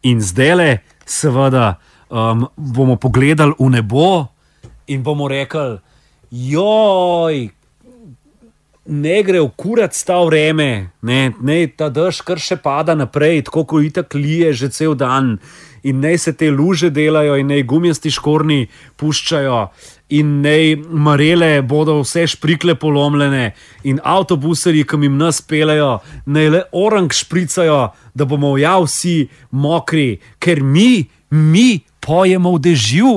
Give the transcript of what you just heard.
In zdajle, seveda, bomo pogledali v nebo in bomo rekli, joj, ne gre v kurac ta vreme, ne ta dež kar še pada naprej, tako kot itak lije že cel dan. In naj se te luže delajo, in naj gumijasti škornji puščajo, in naj marele bodo vse šprikle polomljene, in avtobuserji, ki jim nas pelejo, naj le orang špricajo, da bomo vsi mokri, ker mi pojemo v dežju.